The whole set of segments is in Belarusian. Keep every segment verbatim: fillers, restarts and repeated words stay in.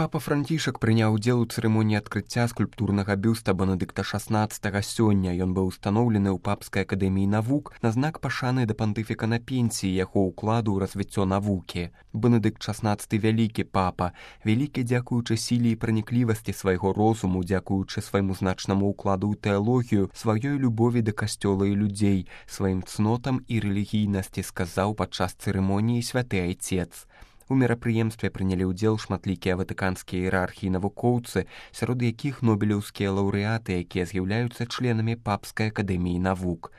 Папа Францішак прыняў удзел у цырымоніі адкрыцця скульптурнага бюста Бенедыкта шаснаццатага сёння. Ён быў устаноўлены ў Папскай акадэміі навук на знак пашаны да пантыфіка на пенсіі яго ўкладу ў развіццё навукі. Бенедыкт шаснаццаты вялікі папа, вялікі дзякуючы сіле і праніклівасці свайго розуму, дзякуючы свайму значнаму ўкладу ў тэалогію, сваёй любові да касцёла і людзей, сваім цнотам і рэлігійнасці, сказаў падчас цырымоніі святы айцец. У мерапрыемстве прынялі ўдзел шматлікія ватыканскія іерархі і навукоўцы, сярод якіх нобелеўскія лаўрэаты, якія з'яўляюцца членамі Папскай акадэміі навук.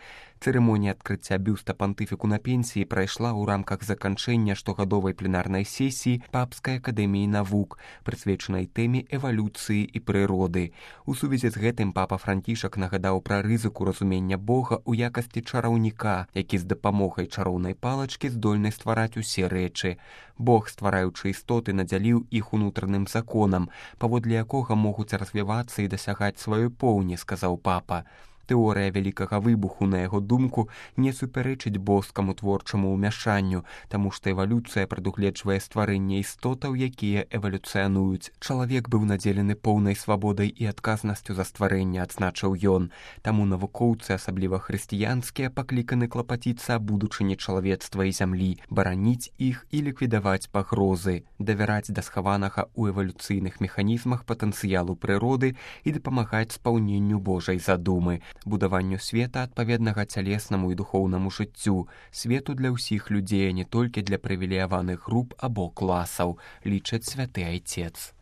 Цырымонія адкрыцця бюста пантыфіку на пенсіі прайшла ў рамках заканчэння штогадовай пленарнай сесіі Папскай акадэміі навук, прысвечанай тэме эвалюцыі і прыроды. У сувязі з гэтым папа Францішак нагадаў пра рызыку разумення Бога ў якасці чараўніка, які з дапамогай чароўнай палачкі здольны ствараць усе рэчы. Бог, ствараючы істоты, надзяліў іх унутраным законам, паводле якога могуць развівацца і дасягаць сваёй поўні, сказаў папа. Тэорыя вялікага выбуху, на яго думку, не супярэчыць боскаму творчаму ўмяшанню, таму што эвалюцыя прадугледжвае стварэнне істотаў, якія эвалюцыянуюць. Чалавек быў надзелены поўнай свабодай і адказнасцю за стварэнне, адзначыў ён. Таму навукоўцы, асабліва хрысціянскія, пакліканы клапаціцца аб будучыні чалавецтва і зямлі, бараніць іх і ліквідаваць пагрозы, давяраць да схаванага ў эвалюцыйных механізмах патэнцыялу прыроды і дапамагаць спаўненню Божай задумы, будаванню света адпаведнага цялеснаму і духоўнаму жыццю, свету для ўсіх людзей, а не толькі для прывілеяваных груп або класаў, лічаць святы айцец.